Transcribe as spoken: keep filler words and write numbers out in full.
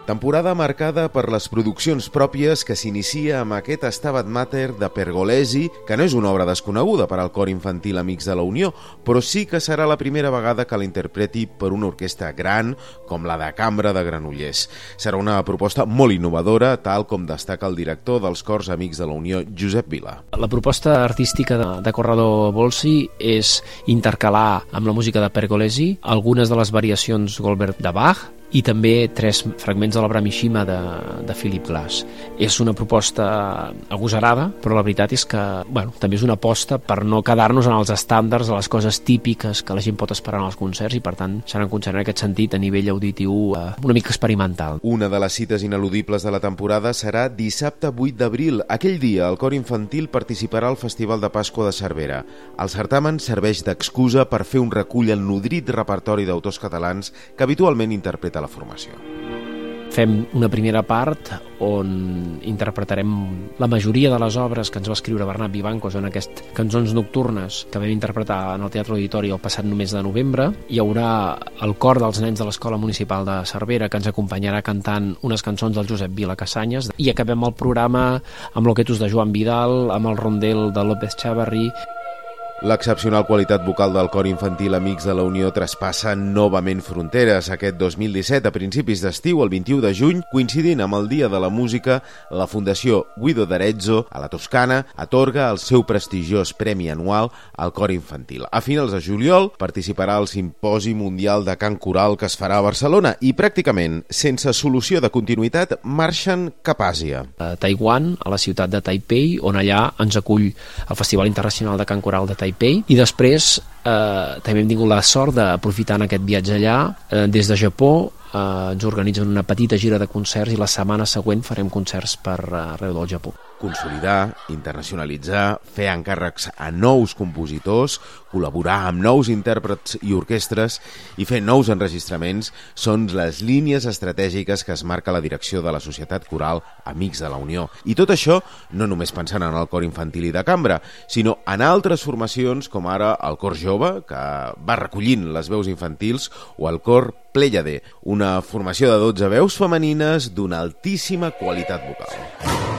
Temporada marcada per les produccions pròpies que s'inicia amb aquest Stabat Mater de Pergolesi, que no és una obra desconeguda per al cor infantil Amics de la Unió, però sí que serà la primera vegada que la interpreti per una orquestra gran com la de Cambra de Granollers. Serà una proposta molt innovadora, tal com destaca el director dels cors Amics de la Unió, Josep Vila. La proposta artística de, de Corrado Bolsi és intercalar amb la música de Pergolesi algunes de les variacions Goldberg de Bach i també tres fragments de l'obra Mishima de, de Philip Glass. És una proposta agosarada, però la veritat és que bueno, també és una aposta per no quedar-nos en els estàndards, a les coses típiques que la gent pot esperar en els concerts, i per tant serà un concert en aquest sentit a nivell auditiu eh, una mica experimental. Una de les cites ineludibles de la temporada serà dissabte vuit d'abril. Aquell dia el cor infantil participarà al Festival de Pasqua de Cervera. El certamen serveix d'excusa per fer un recull al nodrit repertori d'autors catalans que habitualment interpreten la formació. Fem una primera part on interpretarem la majoria de les obres que ens va escriure Bernat Vivancos en aquestes cançons nocturnes que vam interpretar en el Teatre Auditori el passat mes de novembre. Hi haurà el cor dels nens de l'Escola Municipal de Cervera que ens acompanyarà cantant unes cançons del Josep Vila Casanyes, i acabem el programa amb l'Oquetus de Joan Vidal, amb el rondel de López Chavarri. L'excepcional qualitat vocal del cor infantil Amics de la Unió traspassa novament fronteres. Aquest dos mil disset, a principis d'estiu, el vint-i-u de juny, coincidint amb el Dia de la Música, la Fundació Guido d'Arezzo, a la Toscana, atorga el seu prestigiós premi anual al cor infantil. A finals de juliol participarà al Simposi Mundial de Cant Coral que es farà a Barcelona i pràcticament sense solució de continuïtat marxen cap a Àsia. A Taiwan, a la ciutat de Taipei, on allà ens acull el Festival Internacional de Cant Coral de Taipei, i després eh, també hem tingut la sort d'aprofitar aquest viatge allà. Eh, des de Japó eh, ens organitzen una petita gira de concerts i la setmana següent farem concerts per arreu del Japó. Consolidar, internacionalitzar, fer encàrrecs a nous compositors, col·laborar amb nous intèrprets i orquestres i fer nous enregistraments són les línies estratègiques que es marca la direcció de la Societat Coral Amics de la Unió. I tot això no només pensant en el cor infantil i de cambra, sinó en altres formacions com ara el cor jove, que va recollint les veus infantils, o el cor Pléiade, una formació de dotze veus femenines d'una altíssima qualitat vocal.